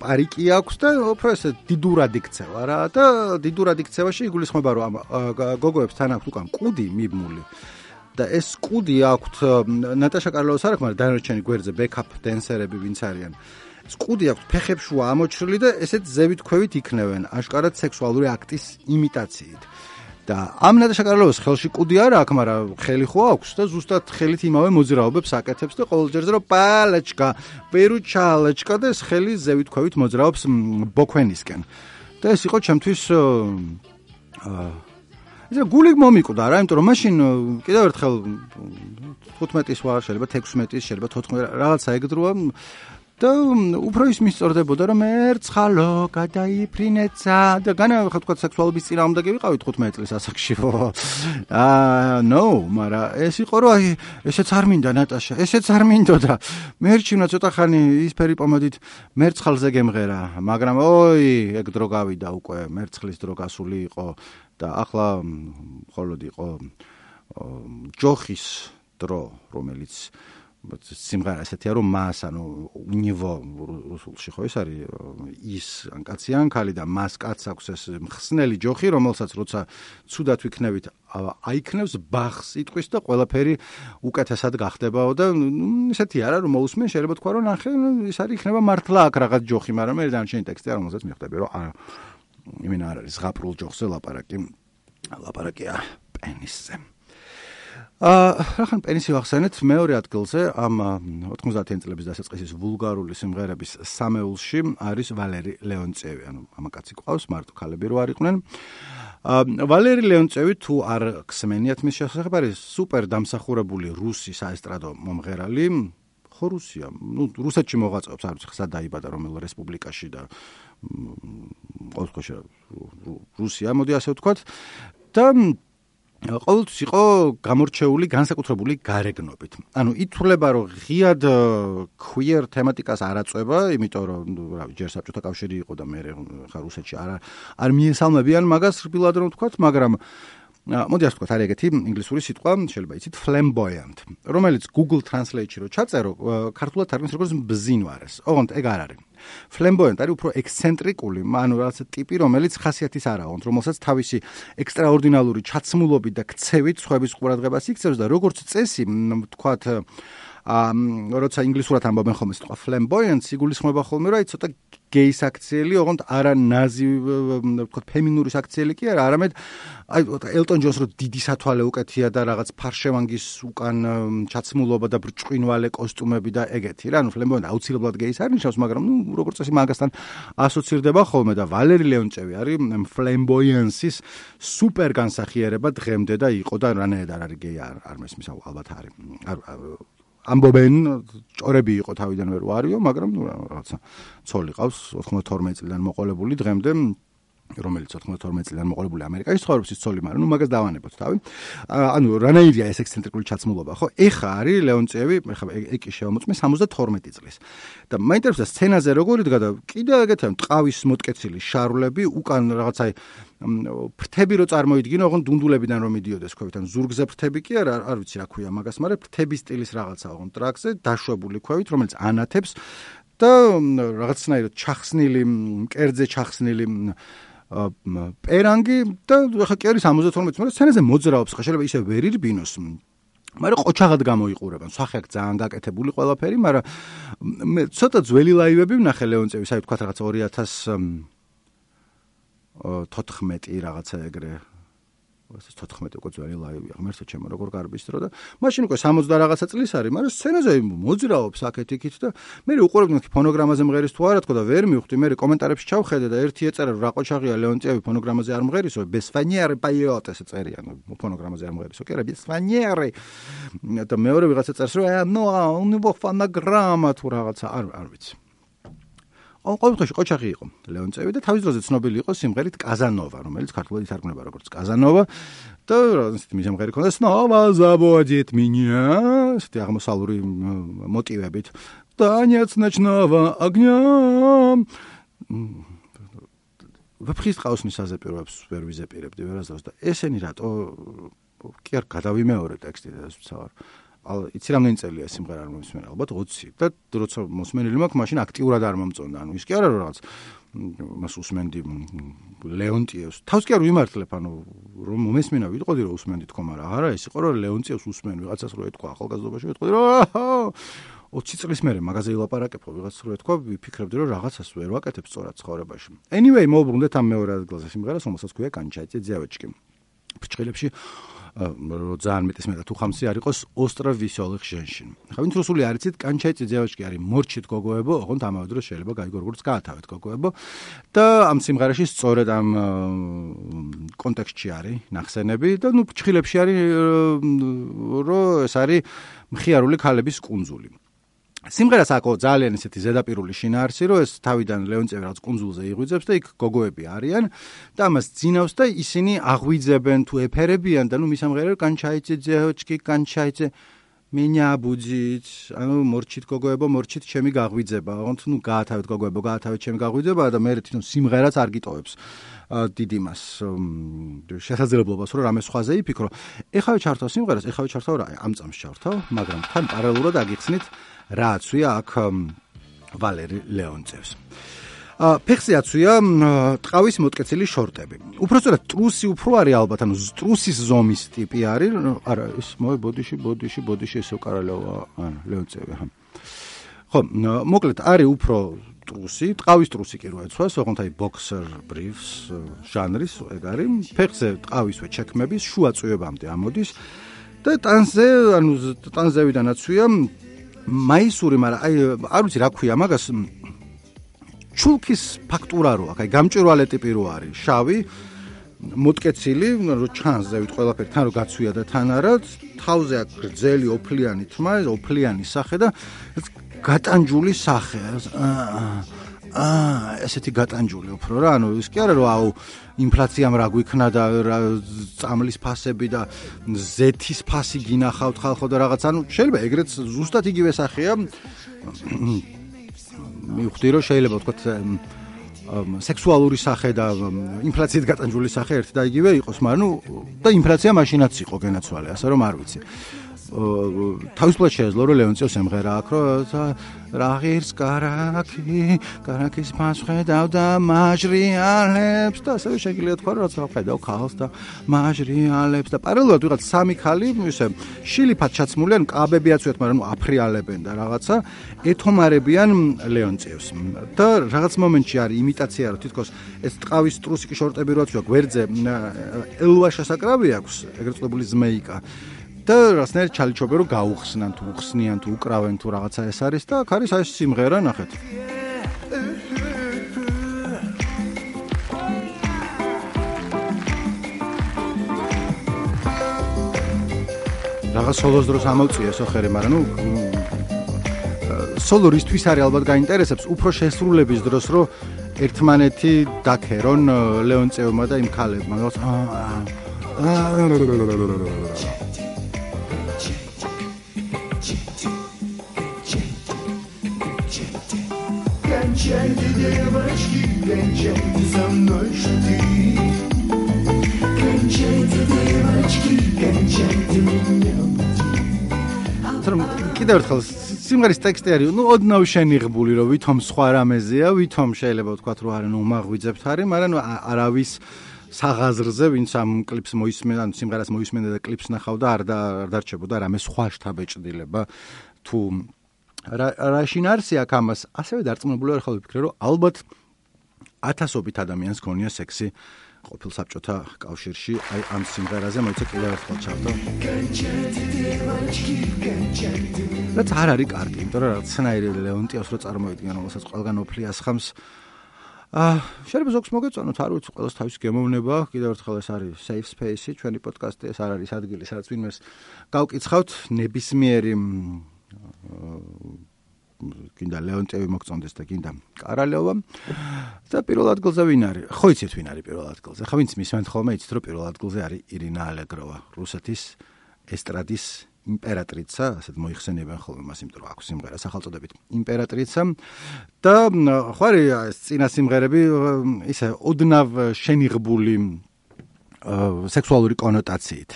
S1: პარიკი აქვს და უფრო ესე დიდურად იქცევა რა და დიდურად იქცევაში იგულისხმება რომ გოგოებს თან აქვს უკან კუდი მიბმული და ეს კუდი აქვთ ნატაშა კარლოვას არ აქვს, მაგრამ დანარჩენი გვერდზე ბექაპ დენსერები ვინც არიან. ეს კუდი აქვთ ფეხებში ამოჩრილი და ესეც ზევით ქვევით იქნევენ, აშკარად სექსუალური აქტის იმიტაციით. და ამ ნატაშა კარლოვას ხელში კუდი არ აქვს, მაგრამ ხელი ხო აქვს და ზუსტად ხელით იმავე მოძრაობებს აკეთებს და ყოველ ჯერზე რომ პალეჩკა, პერუჩალეჩკა და ეს ხელი ზევით ქვევით მოძრაობს ბოქვენისკენ. და ეს იყო ჩემთვის აა ეს გული მომიკვდა რა, იმიტომ რომ მაშინ კიდევ ერთხელ თხუთმეტის ვარ, შეიძლება თექვსმეტის, შეიძლება თოთხმეტი რაღაცა ეგდროა და უფრო ის მისწორდებოდა რომ ერცხალო გადაიფრინეცა და განა ხა თქვა სექსუალობის წინააღმდეგი ვიყავი თხუთმეტი წლის ასაკში. აა no, მაგრამ ეს იყო რომ აი ესეც არ მინდა ნატაშა, ესეც არ მინდოდა. მერჩივნა ცოტა ხანი ისფერი პომადით მერცხალზე გემღერა, მაგრამ ოი, ეგ დრო გავიდა უკვე, მერცხლის დრო გასული იყო და ახლა მხოლოდ იყო ჯოხის დრო, რომელიც სიმღერა ესეთია რომ მას ანუ უნივო რუსულში ხო ეს არის ის კაცი ან ქალი და მას კაც აქვს ეს მხსნელი ჯოხი რომელსაც როცა ცუდად ვიქნევით აიქნევს ბახს იტყვის და ყველაფერი უკეთესად გახდებაო და ესეთი არა რომ მოусმენ შეიძლება თქვა რომ ნახე ის არის იქნება მართლა აქ რაღაც ჯოხი მაგრამ მე დანარჩენი ტექსტი არ რომელსაც მიხვდები რომ არა იმენა არ არის ზღაპრულ ჯოხზე ლაპარაკი ლაპარაკია პენისზე აა რახან პენისი ვახსენეთ მეორე ადგილზე ამ ოთხმოცდაათიანი წლების დასაწყისის ვულგარული სიმღერების სამეულში არის ვალერი ლეონწევი, ანუ მამაკაცი ყავს, მარტო ქალები რო არ იყვნენ. აა ვალერი ლეონწევი თუ არ გსმენიათ მის შესახებ არის სუპერ დამსახურებული რუსი საესტრადო მომღერალი, ხო რუსია, ნუ რუსეთში მოღვაწეობს, არ ვიცი ხსა დაიბადა რომელ რესპუბლიკაში და ყოველთვის რუსია, მოდი ასე ვთქვათ და ყოველთვის იყო გამორჩეული განსაკუთრებული გარეგნობით. ანუ ითვლება რომ ღიად queer თემატიკას არ აწვება, იმიტომ რომ რავი, ჯერ საბჭოთა კავშირი იყო და მე ხა რუსეთში არ არ მიესალმებიან მაგას რბილად რომ ვთქვათ, მაგრამ მოდი ასე ვთქვათ, არის ეგეთი ინგლისური სიტყვა, შეიძლება იცით flamboyant, რომელიც Google Translate-ში რო ჩაწერო, ქართულად თარგმნეს როგორც ბზინვარეს. ოღონდ ეგ არ არის. Flamboyant არის უფრო ექსცენტრიკული, ანუ რაღაც ტიპი, რომელიც ხასიათის არა აქვს, რომელსაც თავისი ექსტრაორდინალური ჩაცმულობით და ქცევით სხვების ყურადღებას იქცევს და როგორც წესი, ვთქვათ, ამ როცა ინგლისურად ამბობენ ხოლმე სიტყვა flamboyant, იგულისხმება ხოლმე რა, ცოტა გეის აქციელი, ოღონდ არა ნაზი, ვთქვათ, ფემინური აქციელი კი არა, არამედ აი ელტონ ჯონს რო დიდი სათვალე უკეთია და რაღაც ფარშევანგის უკან ჩაცმულობა და ბრჭყინვალე კოსტუმები და ეგეთი რა, ანუ flamboyant აუცილებლად გეის არ ნიშნავს, მაგრამ ნუ როგორც წესი მაგასთან ასოცირდება ხოლმე და ვალერი ლეონწევი არის flamboyance-ის სუპერ განსახიერება დღემდე და იყო და რანაირად არ არის გეი არ არ მესმის ალბათ არის. ამბობენ ჭორები იყო თავიდანვე რო არისო, მაგრამ ნუ რაღაცა ცოლი ყავს ოთხმოცდათორმეტი წლიდან მოყოლებული დღემდე, რომელიც ოთხმოცდათორმეტი წლიდან მოყოლებული ამერიკაში ცხოვრობს ის ცოლი, მაგრამ ნუ მაგას დავანებოთ თავი. ანუ რანაირია ეს ექსცენტრიკული ჩაცმულობა, ხო? ეხა არის ლეონწევი, ეხა ეკი შევამოწმე სამოცდათორმეტი წლის. და მაინტერესებს სცენაზე როგორ იდგა და კიდევ ეგეთია ტყავის მოტკეცილი შარვლები, უკან რაღაცა ფრთები რო წარმოიდგინო, ოღონდ დუნდულებიდან რომ მიდიოდეს ქვევით, ან ზურგზე ფრთები კი არა, არ ვიცი რა ქვია მაგას, მაგრამ ფრთების სტილის რაღაცა ოღონდ ტრაქზე დაშვებული ქვევით, რომელიც ანათებს და რაღაცნაირად ჩახსნილი, მკერდზე ჩახსნილი პერანგი და ხა კი არის სამოცდათორმეტი, მაგრამ სცენაზე მოძრაობს, ხა შეიძლება ისე ვერ ირბინოს. მაგრამ ყოჩაღად გამოიყურებენ, სახე აქ ძალიან გაკეთებული ყველაფერი, მაგრამ მე ცოტა ძველი ლაივები ვნახე ლეონწევის, აი თქვა რაღაც ორი ათას თოთხმეტი რაღაცა ეგრე. თოთხმეტი უკვე ძველი ლაივია, ღმერთო ჩემო, როგორ გარბის დრო და მაშინ უკვე სამოცდა რაღაცა წლის არის, მაგრამ სცენაზე მოძრაობს აქეთ-იქით და მე უყურებდი ფონოგრამაზე მღერის თუ არა თქო და ვერ მივხვდი, მე კომენტარებში ჩავხედე და ერთი ეწერა რა ყოჩაღია ლეონწევი ფონოგრამაზე არ მღერისო, ბესფანიერი პაიოტ ესე წერია, ფონოგრამაზე არ მღერისო, კი არა, ბესფანიერი. და მეორე ვიღაცა წერს რომ ნო, უნივო ფონოგრამა თუ რაღაცა არ არ ვიცი. ყოველთვის ყოჩაღი იყო ლეონწევი და თავის დროზე ცნობილი იყო სიმღერით კაზანოვა, რომელიც ქართულად ითარგმნება როგორც კაზანოვა და ისეთი სიმღერი ჰქონდა სნოვა ზაბოდით მინია, ესეთი აღმოსავლური მოტივებით. Танец ночного огня. ვაფხის ყაოსნის საზეპიროებს ვერ ვიზეპირებდი ვერასდროს და ესენი რატო კი არ გადავიმეორე ტექსტი და ეს ვცავარ. იცი რამდენი წელია სიმღერა არ მომისმენა, ალბათ ოცი და როცა მოსმენილი მაქვს, მაშინ აქტიურად არ მომწონდა. ანუ ის კი არა რომ რაღაც მას usmenდი ლეონტიევს. თავს კი არ ვიმართლებ, ანუ რომ მომესმენა ვიტყოდი რომ usmenდი თქო, მაგრამ არა, ეს იყო რომ ლეონტიევს usmen ვიღაცას რო ეთქვა ახალგაზრდობაში, ვიტყოდი რომ ოცი წლის მერე მაღაზია ილაპარაკებო ვიღაც რო ეთქვა, ვიფიქრებდი რომ რაღაცას ვერ ვაკეთებ სწორად ცხოვრებაში. Anyway, მოვუბრუნდეთ ამ მეორე ადგილზე სიმღერას, რომელსაც ქვია კანჩაიძე ძიავეჩკი. ფრჩხილებში რო ძალიან მეტის მეტად უხამსი არ იყოს остров веселых женщин. ხა ვინც რუსული არ იცით, კანჩაიძე ძიავეჩკი არის მორჩით გოგოებო, ოღონდ ამავე დროს შეიძლება გაიგო როგორც გაათავეთ გოგოებო და ამ სიმღერაში სწორედ ამ კონტექსტში არის ნახსენები და ნუ ფრჩხილებში არის რომ ეს არის მხიარული ქალების კუნძული. სიმღერას აქვს ძალიან ისეთი ზედაპირული შინაარსი, რომ ეს თავიდან ლეონწევი რაღაც კუნძულზე იღვიძებს და იქ გოგოები არიან და ამას ძინავს და ისინი აღვიძებენ თუ ეფერებიან და ნუ მისამღერე კანჩაიძე ძეოჩკი კანჩაიძე меня будет, ანუ მორჩით გოგოებო, მორჩით ჩემი გაღვიძება. ოღონდ ნუ გაათავეთ გოგოებო, გაათავეთ ჩემი გაღვიძება და მე თვითონ სიმღერაც არ გიტოვებს დიდ იმას შესაძლებლობას რომ რამე სხვაზე იფიქრო. ეხავე ჩართავ სიმღერას, ეხავე ჩართავ რა, ამ წამს ჩართავ, მაგრამ თან პარალელურად აგიხსნით რა აცვია აქ ვალერი ლეონწევს. ფეხზე აცვია ტყავის მოტკეცილი შორტები. უпростоრად ტრუსი უფრო არის ალბათ, ანუ ტრუსის ზომის ტიპი არის. არა, ეს მოე ბოდიში, ბოდიში, ბოდიში ესო კარალევა, ანუ ლეონწევი, აჰა. ხო, მოკლედ არის უფრო ტრუსი, ტყავის ტრუსი კი რო ეცვას, ოღონდ აი boxer briefs ჟანრის ეგ არის. ფეხზე ტყავისვე ჩექმების შუა წვევამდე ამოდის და ტანზე, ანუ ტანზევიდან აცვია მაისური, მაგრამ აი არ ვიცი რა ქვია მაგას ჩულკის ფაქტურა რო აქვს, აი გამჭვირვალე ტიპი რო არის, შავი, მოტკეცილი, რო ჩანს ზევით ყველაფერი, თან რო გაცვია და თან არა, თავზე აქვს გრძელი ოფლიანი თმა, ოფლიანი სახე და გატანჯული სახე. აა, ესეთი გატანჯული უფრო რა, ანუ ის კი არა რომ აუ ინფლაციამ რა გვიქნა და წამლის ფასები და ზეთის ფასი გინახავთ ხალხო და რაღაც, ანუ შეიძლება ეგრეც ზუსტად იგივე სახეა. მივხვდი რომ შეიძლება ვთქვათ სექსუალური სახე და ინფლაციით გატანჯული სახე ერთი და იგივე იყოს, მაგრამ ნუ და ინფლაცია მაშინაც იყო გენაცვალე, ასე რომ არ ვიცი. თავისუფლად შეეძლო რომ ლეონწევს ემღერა აქ რომ რაღირს კარაკი კარაკის მასხედავ და მაჟრიალებს და ასევე შეგიძლია თქვა რომ რაც ხედავ ქალს და მაჟრიალებს და პარალელურად ვიღაც სამი ქალი ისე შილიფად ჩაცმული ან კაბები აცვიათ, მაგრამ ნუ აფრიალებენ და რაღაცა ეთომარებიან ლეონწევს და რაღაც მომენტში არის იმიტაცია რომ თითქოს ეს ტყავის ტრუსიკი შორტები რო აცვია გვერდზე ელვა შესაკრავი აქვს, ეგრეთ წოდებული ზმეიკა და რასნაირად ჩალიჩობენ რომ გაუხსნან თუ უხსნიან თუ უკრავენ თუ რაღაცა ეს არის და აქ არის ეს სიმღერა ნახეთ. რაღაც სოლოს დროს ამოვწია სოხერი, მაგრამ ნუ სოლო რისთვის არის ალბათ გაინტერესებს უფრო შესრულების დროს რომ ერთმანეთი დაქერონ ლეონწევმა და იმ ქალებმა.
S2: Кончайте, девочки, кончайте со мной шутить. Кончайте, девочки, кончайте меня.
S1: კიდევ ერთხელ სიმღერის ტექსტი არის, ნუ ოდნავ შენიღბული, რომ ვითომ სხვა რამეზეა, ვითომ შეიძლება ვთქვათ, რომ არა, ნუ მაღვიძებთ არის, მაგრამ ნუ არავის საღაზრზე, ვინც ამ კლიპს მოისმენდა, ან სიმღერას მოისმენდა და კლიპს ნახავდა, არ დარჩებოდა რამე სხვა შთაბეჭდილება თუ რა შინაარსი აქვს ამას, ასევე დარწმუნებული ვარ ხოლმე ვფიქრე, რომ ალბათ ათასობით ადამიანს გონია სექსი ყოფილ საბჭოთა კავშირში, აი ამ სიმღერაზე მოიცა კიდევ ერთხელ ჩავდო. რაც არ არის კარგი, იმიტომ რომ რაღაცნაირი ლეონტიევს რო წარმოიდგენ, რომელსაც ყველგან ოფლი ასხამს. აა, შეიძლება ზოგს მოგეწონოთ, არ ვიცი, ყველას თავისი გემოვნება, კიდევ ერთხელ ეს არის safe space-ი, ჩვენი პოდკასტი, ეს არ არის ადგილი, სადაც ვინმეს გავკითხავთ ნებისმიერი გინდა ლეონტიევი მოგწონდეს და გინდა კარალევა. და პირველ ადგილზე ვინ არის? ხო იცით ვინ არის პირველ ადგილზე? ხო ვინც მისმენთ ხოლმე იცით რომ პირველ ადგილზე არის ირინა ალეგროვა, რუსეთის ესტრადის იმპერატრიცა, ასეთ მოიხსენიებენ ხოლმე მას, იმიტომ რომ აქვს სიმღერა სახელწოდებით იმპერატრიცა და ხო არის ეს წინა სიმღერები ისე ოდნავ შენიღბული სექსუალური კონოტაციით.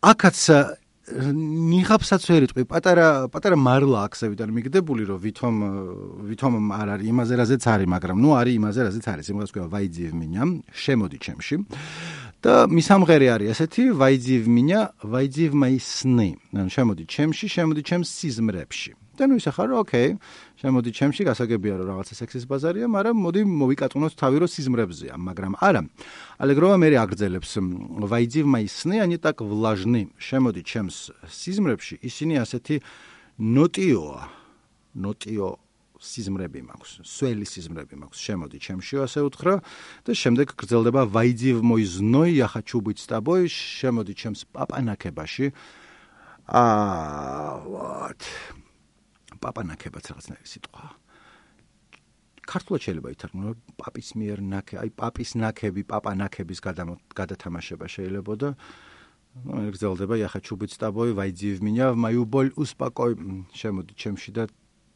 S1: აქაც ნიღაბსაც ვერ იტყვი, პატარა პატარა მარლა აქსევიდან მიგდებული, რომ ვითომ ვითომ არ არის იმაზე, რაზეც არის, მაგრამ ნუ არის იმაზე, რაზეც არის. სიმღერას ქვია ვაიძიევ მინია, შემოდი ჩემში. და მისამღერე არის ესეთი, ვაიძიევ მინია, ვაიძიევ მაი სნი. ანუ შემოდი ჩემში, შემოდი ჩემს სიზმრებში. და ნუ ისე ხარ, ოკეი, შემოდი ჩემში, გასაგებია რომ რაღაცა სექსის ბაზარია, მაგრამ მოდი მოვიკატუნოთ თავი რომ სიზმრებზეა, მაგრამ არა. ალეგროვა მე აგრძელებს ვაიძიევ მაი სნი, они так влажны. შემოდი ჩემს სიზმრებში, ისინი ასეთი ნოტიოა. ნოტიო სიზმრები მაქვს, სველი სიზმრები მაქვს. შემოდი ჩემში ასე უთხრა და შემდეგ გრძელდება ვაიძიევ мой зной, я хочу быть с тобой. შემოდი ჩემს პაპანაკებაში. აა, вот. პაპანაკებაც რაღაცნაირი სიტყვა. ქართულად შეიძლება ითარგმნო პაპის მიერ ნაკე, აი პაპის ნაკები, პაპანაკების გადათამაშება შეიძლება და ну, გრძელდება я хочу быть с тобой, войди в меня, в мою боль успокой. შემოდი ჩემში და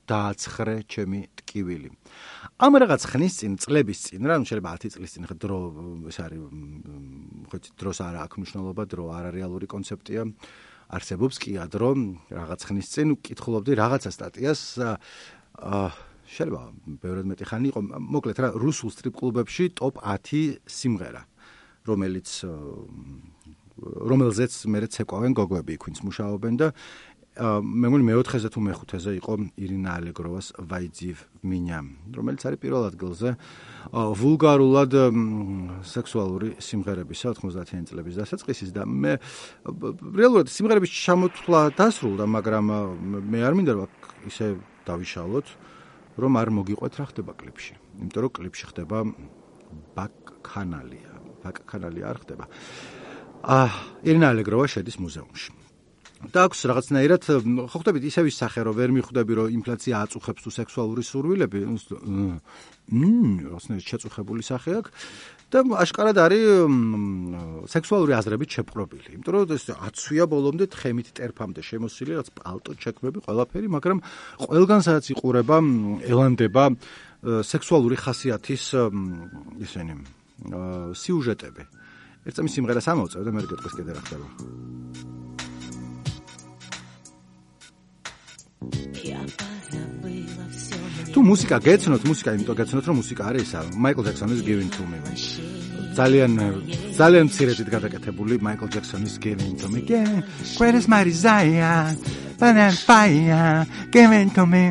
S1: დააცხრე ჩემი ტკივილი. ამ რაღაც ხნის წინ, წლების წინ, რა, შეიძლება ათი წლის წინ, ხო დრო ეს არის, ხო დროს არ აქვს მნიშვნელობა, დრო არარეალური კონცეფტია. არსებობს კი ადრო რაღაც ხნის წინ ვკითხულობდი რაღაცა სტატიას აა შეიძლება ბევრად მეტი ხანი იყო მოკლედ რა რუსულ სტრიპ კლუბებში ტოპ ათი სიმღერა რომელიც რომელზეც მე ცეკვავენ გოგოები იქ მუშაობენ და მე მგონი მეოთხეზე თუ მეხუთეზე იყო ირინა ალეგროვას ვაიძიევ მინია რომელიც არის პირველ ადგილზე ვულგარულად სექსუალური სიმღერებისა ოთხმოცდაათიანი წლების დასაწყისის და მე რეალურად სიმღერების ჩამოთვლა დასრულდა მაგრამ მე არ მინდა რომ ისე დავიშალოთ რომ არ მოგიყვეთ რა ხდება კლიპში იმიტომ რომ კლიპში ხდება ბაკ-ქანალია ბაკ-ქანალი არ ხდება აა ირინა ალეგროვა შედის მუზეუმში და აქვს რაღაცნაირად ხო ხვდებით ისევ ის სახე რომ ვერ მიხვდები რომ ინფლაცია აწუხებს თუ სექსუალური სურვილები მმ რაღაცნაირად შეწუხებული სახე აქვს და აშკარად არის სექსუალური აზრებით შეპყრობილი იმიტომ რომ ეს აცვია ბოლომდე თხემით ტერფამდე შემოსილი რაც პალტო ჩექმები ყველაფერი მაგრამ ყველგან სადაც იყურება ელანდება სექსუალური ხასიათის ისენი სიუჟეტები ერთ წამის სიმღერას ამოვწევ და მე გეტყვის კიდე რა ხდება თუ მუსიკა გეცნოთ, მუსიკა იმიტომ გეცნოთ, რომ მუსიკა არის ისა, Michael Jackson-ის Giving to Me. ძალიან ძალიან მცირედით გადაკეთებული Michael Jackson-ის Giving to Me. Where is my desire? When I'm fire, giving to me.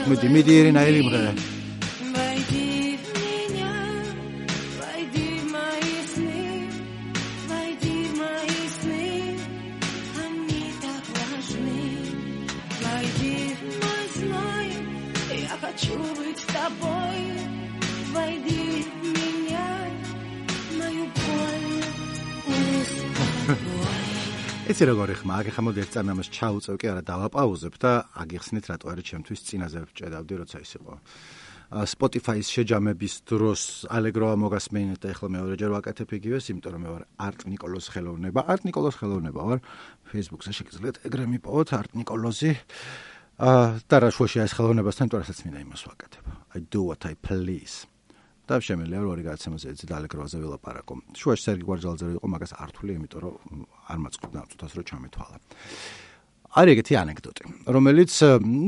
S1: მოდი, მიდი ირინა ირიმღერა. იცი როგორი ხმა, აგ ხა მოდი ერთ წამი ამას ჩაუწევ კი არა დავაპაუზებ და აგიხსნით რატო არის ჩემთვის წინაზე ვჭედავდი როცა ის იყო Spotify-ის შეჯამების დროს ალეგროვა მოგასმენით და ეხლა მეორეჯერ ვაკეთებ იგივეს, იმიტომ რომ მე ვარ არტ ნიკოლოზ ხელოვნება, არტ ნიკოლოზ ხელოვნება ვარ Facebook-ზე შეგიძლიათ ეგრე მიპოვოთ არტ ნიკოლოზი და რა შუაში ეს ხელოვნებასთან თორესაც მინდა იმას ვაკეთებ. I do what I please. და შემიძლია რომ ორი გადაცემაზე ეცი და ალეგროვაზე ველაპარაკო. შუაში სერგი გვარჯალაძე იყო, მაგას არ თვლი, იმიტომ რომ არ მაწყობდა წუთას რომ ჩამეთვალა. არის ეგეთი ანეკდოტი, რომელიც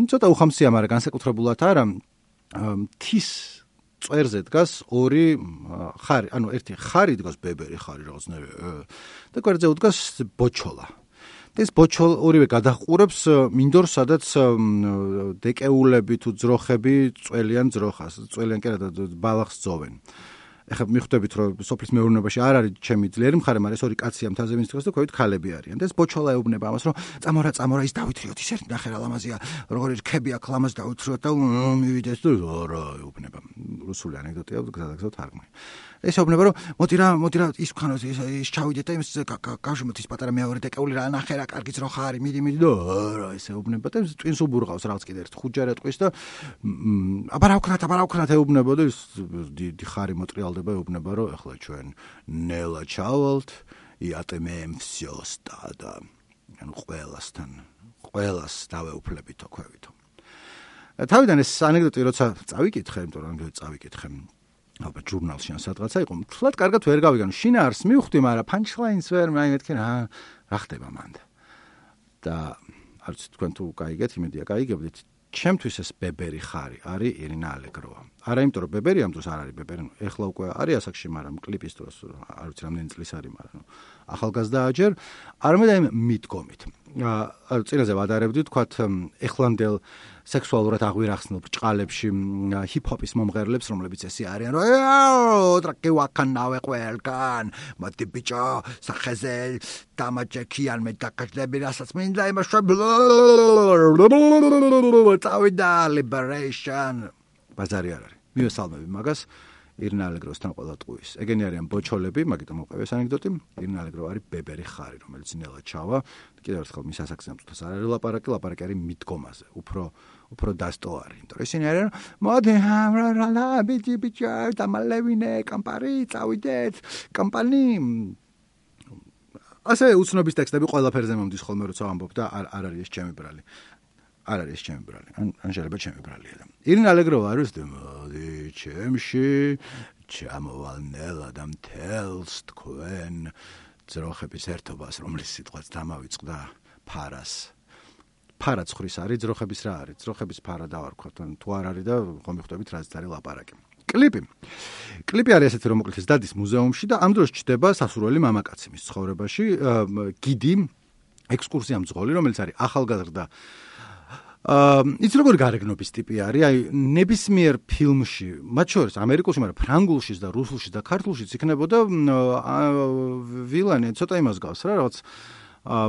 S1: ცოტა უხამსია, მაგრამ განსაკუთრებულად არა, მთის წვერზე დგას ორი ხარი, ანუ ერთი ხარი დგას ბებერი ხარი რაღაცნაირი და გვერდზე უდგას ბოჩოლა. ეს ბოჩოლ ორივე გადაჰყურებს მინდორ სადაც დეკეულები თუ ძროხები წველიან ძროხას, წველიან კი არა ბალახს ძოვენ. ეხლა მიხვდებით რომ სოფლის მეურნეობაში არ არის ჩემი ძლიერი მხარე, მაგრამ ეს ორი კაცია მთაზე ვინც დგას და ქვევით ქალები არიან. და ეს ბოჩოლა ეუბნება ამას რომ წამორა წამორა ის დავითრიოთ ის ერთი ნახე რა ლამაზია, როგორი რქები აქვს ლამაზ დაუთრიოთ და მივიდეს და რა ეუბნება. რუსული ანეკდოტია, გზადაგზავ თარგმნი. ეს ეუბნება, რომ მოდი რა, მოდი რა, ის ვქანოთ, ის ჩავიდეთ და იმის გავშემოთ ის პატარა მეორე დეკეული რა ნახე რა, კარგიც რო ხარი, მიდი, მიდი და რა, ეს ეუბნება და ტვინს უბურღავს რაღაც კიდე ერთ ხუჯარა ტყვის და აბა რა ვქნათ, აბა რა ვქნათ ეუბნება და ის დიდი ხარი მოტრიალდება, ეუბნება, რომ ეხლა ჩვენ ნელა ჩავალთ, იატემემ всё стадо. ანუ ყველასთან, ყველას დავეუფლებითო ქვევითო. თავიდან ეს ანეკდოტი როცა წავიკითხე, იმიტომ რომ წავიკითხე აბა ჟურნალში ან სადღაცა იყო, თლად კარგად ვერ გავიგე, ანუ შინაარს მივხვდი, მაგრამ punchline-ს ვერ მეთქე რა, რა ხდება მანდ. და არც თქვენ თუ გაიგეთ, იმედია გაიგებდით, ჩემთვის ეს ბებერი ხარი არის ირინა ალეგროვა. არა იმიტომ რომ ბებერი ამ დროს არ არის ბებერი, ეხლა უკვე არის ასაკში, მაგრამ კლიპის დროს არ ვიცი რამდენი წლის არის, მაგრამ ახალგაზრდაა ჯერ, არამედ აი მიდგომით. აა წინაზე ვადარებდი თქვათ ეხლანდელ სექსუალურად აღვირახსნილ ბრჭყალებში ჰიპ-ჰოპის მომღერლებს, რომლებიც ესე არიან, რომ ტრაკი ვაკანავე ყველგან, მოდი ბიჭო, სახეზე დამაჯექიან მე დაკაშდები, რასაც მინდა იმაშვე წავიდა liberation. ბაზარი არ არის. მივესალმები მაგას. ირინა ალეგროსთან ყველა ტყუის. ეგენი არიან ბოჩოლები, მაგიტომ მოყევეს ანეკდოტი. ირინა ალეგრო არის ბებერი ხარი, რომელიც ნელა ჩავა. კიდევ ერთხელ მის ასაკზე ამწუთას არ არის ლაპარაკი, ლაპარაკი არის მიდგომაზე. უფრო უფრო დასტო არის. იმიტომ რომ ისინი არიან, მოდი რა ბიჭი ბიჭი დამალევინე კამპარი, წავიდეთ, კამპანი. ასე უცნობის ტექსტები ყველაფერზე მომდის ხოლმე როცა ვამბობ და არ არ არის ეს ჩემი ბრალი. არ არის ჩემი ბრალი. ან ან შეიძლება ჩემი ბრალია და. ირინა ალეგროვა არის და მოდი ჩემში ჩამოვალ ნელა და მთელს თქვენ ძროხების ერთობას, რომლის სიტყვაც დამავიწყდა ფარას. ფარა ცხრის არის, ძროხების რა არის? ძროხების ფარა დავარქვათ, ან თუ არ არის და ხომ მიხვდებით რაზეც არის ლაპარაკი. კლიპი. კლიპი არის ესეთი, რომ მოკლედ დადის მუზეუმში და ამ დროს ჩდება სასურველი მამაკაცი მის ცხოვრებაში, გიდი, ექსკურსია მძღოლი, რომელიც არის ახალგაზრდა აა იცი როგორი გარეგნობის ტიპი არის, აი ნებისმიერ ფილმში, მათ შორის ამერიკულში, მაგრამ ფრანგულშიც და რუსულშიც და ქართულშიც იქნებოდა ვილანი, ცოტა იმას გავს რა, რაღაც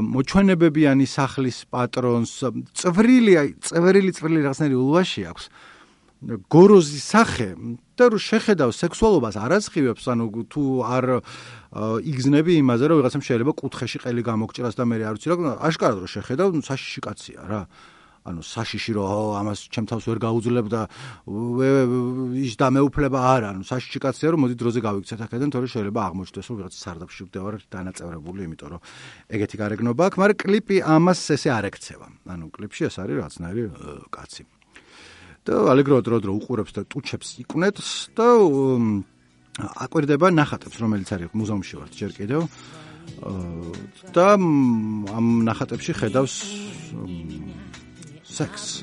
S1: მოჩვენებებიანი სახლის პატრონს, წვრილი, აი წვრილი წვრილი რაღაცნაირი ულვაში აქვს. გოროზის სახე და რო შეხედავ სექსუალობას არაცხივებს, ანუ თუ არ იგზნები იმაზე, რომ ვიღაცამ შეიძლება კუთხეში ყელი გამოგჭრას და მე არ ვიცი რა, აშკარად რო შეხედავ, საშიში კაცია რა. ანუ საშიში რომ ამას ჩემ თავს ვერ გაუძლებ და ის დამეუფლება არა, ანუ საშიში კაცია რომ მოდი დროზე გავიქცეთ აქედან, თორე შეიძლება აღმოჩნდეს რომ ვიღაც სარდაფში ვდევარ დანაწევრებული, იმიტომ რომ ეგეთი გარეგნობა აქვს, მაგრამ კლიპი ამას ესე არ ეკცევა. ანუ კლიპში ეს არის რაღაცნაირი კაცი. და ალეგრო დრო-დრო უყურებს და ტუჩებს იკვნეთს და აკვირდება ნახატებს, რომელიც არის მუზეუმში ვართ ჯერ კიდევ. და ამ ნახატებში ხედავს სექს.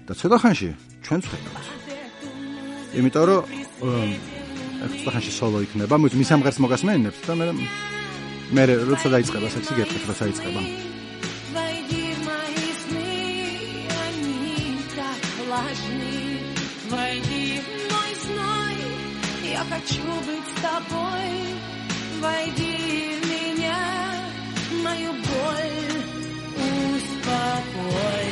S1: და ცოტა ხანში ჩვენც ხედავთ. იმიტომ რომ ცოტა ხანში სოლო იქნება, მის ამღერს მოგასმენინებთ და მე მე როცა დაიწყება სექსი გეტყვით, როცა იწყება.
S3: Войди в мой сной, я хочу быть с тобой. Войди в меня, мою боль успокой.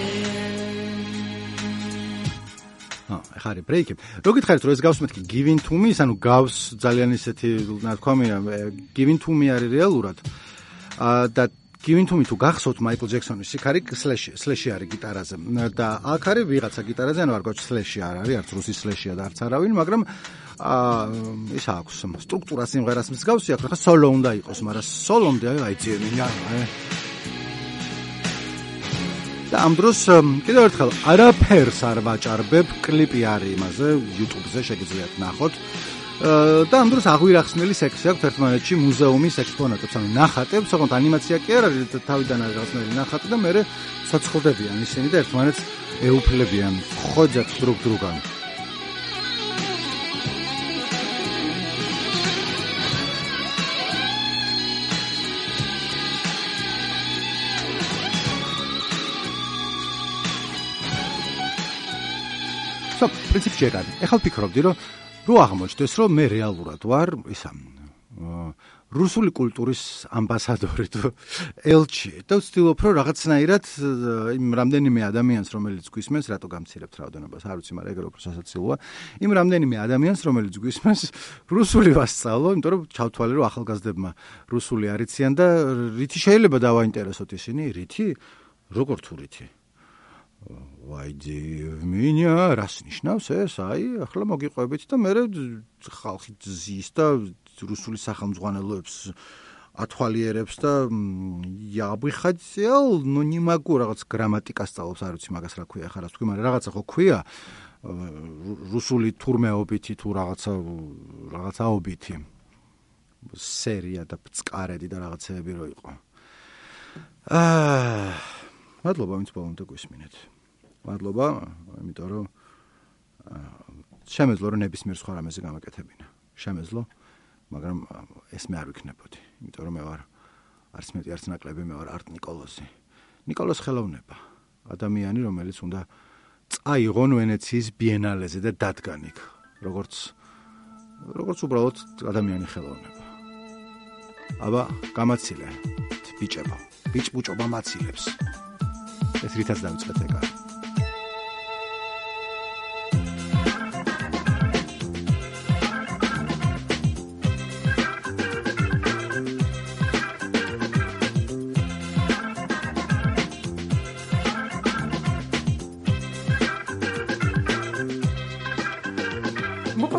S1: ახლა არის ბრეიკი. რო გითხარით, რომ ეს გავს მეთქი Giving to me, ანუ გავს ძალიან ისეთი ნათქვამია, Giving to me არის რეალურად. და Giving to me თუ გახსოვთ Michael Jackson-ის სიქარი slash slash-ი არის გიტარაზე და აქ არის ვიღაცა გიტარაზე, ანუ არ გვაქვს slash-ი არ არის, არც რუსი slash-ია და არც არავინ, მაგრამ აა ის აქვს სტრუქტურა სიმღერას მსგავსი აქვს, ხა solo უნდა იყოს, მაგრამ solo-მდე აი ძიებია, აი. და ამ დროს კიდევ ერთხელ არაფერს არ ვაჭარბებ, კლიპი არის იმაზე, YouTube-ზე შეგიძლიათ ნახოთ. და ამ დროს აღვირახსნილი სექსი აქვს ერთმანეთში მუზეუმის ექსპონატებს, ანუ ნახატებს, ოღონდ ანიმაცია კი არ არის, თავიდან არის რაღაცნაირი ნახატი და მერე ცოცხლდებიან ისინი და ერთმანეთს ეუფლებიან, ხოძებს დრუგ დრუგან. სო, პრინციპში ეგ არის. ეხლა ვფიქრობდი, რომ რო აღმოჩნდეს, რომ მე რეალურად ვარ ისა რუსული კულტურის ამბასადორი თუ ელჩი და ვცდილობ რომ რაღაცნაირად იმ რამდენიმე ადამიანს რომელიც გვისმენს რატო გამცირებთ რაოდენობას არ ვიცი მაგრამ ეგ რო სასაცილოა იმ რამდენიმე ადამიანს რომელიც გვისმენს რუსული ვასწავლო იმიტომ რომ ჩავთვალე რომ ახალგაზრდებმა რუსული არიციან და რითი შეიძლება დავაინტერესოთ ისინი რითი როგორ თუ რითი ვაიდი მინია რას ნიშნავს ეს აი ახლა მოგიყვებით და მე ხალხი ზის და რუსული სახელმძღვანელოებს ათვალიერებს და я бы хотел, но не могу რაღაც გრამატიკა სწავლობს, არ ვიცი მაგას რა ქვია, ხარ თქვი, მაგრამ რაღაცა ხო ქვია რუსული თურმეობითი თუ რაღაცა რაღაცაობითი სერია და ბწყარედი და რაღაცეები რო იყო. აა მადლობა ვინც ბოლომდე გვისმინეთ. მადლობა, იმიტომ რომ შემეძლო რომ ნებისმიერ სხვა რამეზე გამაკეთებინა. შემეძლო მაგრამ ეს მე არ ვიქნებოდი, იმიტომ რომ მე ვარ არც მეტი არც ნაკლები, მე ვარ არტ ნიკოლოზი. ნიკოლოზ ხელოვნება, ადამიანი, რომელიც უნდა წაიღონ ვენეციის ბიენალეზე და დადგან იქ, როგორც როგორც უბრალოდ ადამიანი ხელოვნება. აბა, გამაცილე, ბიჭებო, ბიჭბუჭობა მაცილებს. ეს რითაც დავიწყეთ ეგა.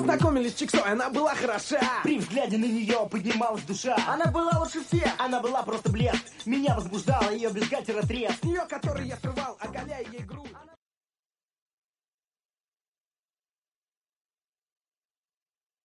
S2: Познакомились с Чиксой, она была хороша. При взгляде на нее поднималась душа. Она была лучше всех, она была просто блеск. Меня возбуждала ее бюстгальтер отрез. С нее, который я срывал.